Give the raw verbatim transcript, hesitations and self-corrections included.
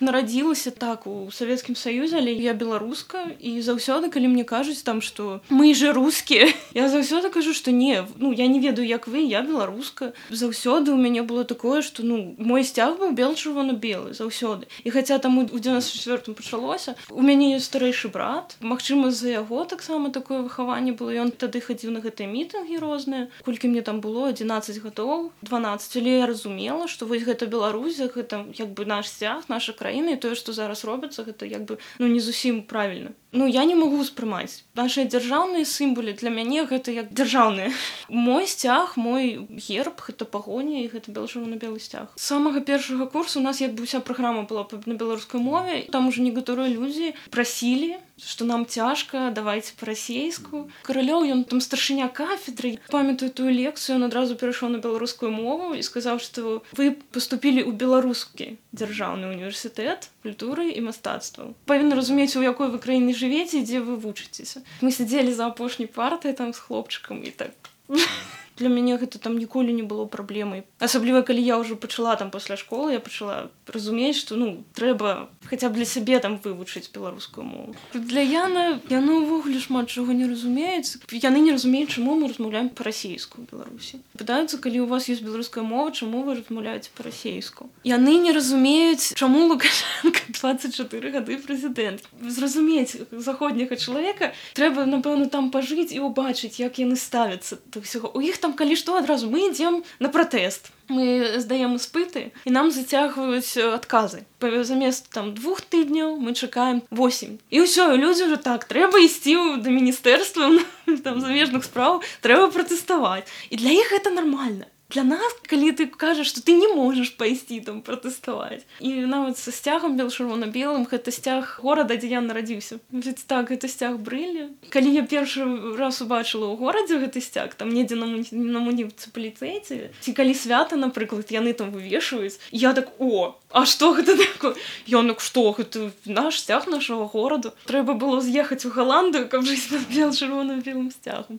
Нарадзілася так у Савецкім Саюзе, але я беларуска, і заўсёды, калі мне кажуць там, што мы же рускія, я заўсёды кажу, што не, ну, я не ведаю, як вы, я беларуска. Заўсёды ў мяне было такое, што, ну, мой сцяг быў бел-чырвона-белы, заўсёды. І хаця там у дзевяносто чвёртым пачалося, у мяне ёсць старэйшы брат, магчыма, з-за яго таксама такое выхаванне было, ён тады хадзіў на гэтыя мітынгі розныя, колькі мне там было, адзінаццаць гадоў, дванаццаць, але я разумела, што вось гэта Беларусь, гэта як бы наш сцяг, наша краіна, і тое, што зараз робіцца, гэта як бы, ну, не зусім правільна. Ну, я не магу ўспрымаць. Нашыя дзяржаўныя сімвалы для мяне гэта як дзяржаўныя. Мой сцяг, мой герб, гэта пагоня, і гэта бел-чырвона-белы сцяг. З самага першага курсу у нас як бы ўся праграма была на беларускай мове, там ужо некаторыя людзі прасілі, што нам цяжка, давайце па-расейску. Каралёў, ён там старшыня кафедры. Памятаю тую лекцыю, ён адразу перайшоў на беларускую мову і сказаў, што вы паступілі ў беларускі дзяржаўны універсітэт культуры і мастацтваў. Павінны разумець, у якой вы краіне жывеце, дзе вы вучыцеся. Мы сядзелі за апошняй партай там з хлопчыкам і так... Для мяне гэта там ніколі не было праблемай. Асабліва, калі я ўжо пачала там пасля школы, я пачала разумець, што, ну, трэба хаця б для сябе там вывучыць беларускую мову. Для Яна, яна ўвогуле шмат чаго не разумеюць. Яны не разумеюць, чаму мы размаўляем па-расейску ў Беларусі. Пытаюцца, калі у вас ёсць беларуская мова, чаму вы размаўляеце па-расейску. Яны не разумеюць, чаму Лукашенка дваццаць чатыры гады прэзідэнт. Зразумець заходняга чалавека трэба, напэўна, там пажыць і ўбачыць, як яны ставяцца да ўсяго. У іх там, калі што, адразу мы ідзем на пратэст. Мы здаем іспыты, і нам зацягваюць адказы. Замест там двух тыдняў мы чакаем восемь. І ўсё, і людзі ўжо так, трэба ісці да міністэрства там замежных спраў, трэба пратэставаць. І для іх гэта нармальна. Для нас, калі ты кажаш, што ты не можаш пайсці там пратэставаць. І нават са сцягам бел-чырвона-белым, гэта сцяг горада, дзе я нарадзіўся. Ведь так, гэта сцяг Брылі. Калі я першы раз убачыла ў горадзе гэты сцяг, там недзе на, муні... на муніцыпалітэце, ці калі свята, напрыклад, яны там вывешваюць, я так, о, а што гэта такое? Я так, што, гэта наш сцяг нашага гораду. Трэба было з'ехаць у Галандыю, каб жыць пад бел-чырвона-белым сцягам.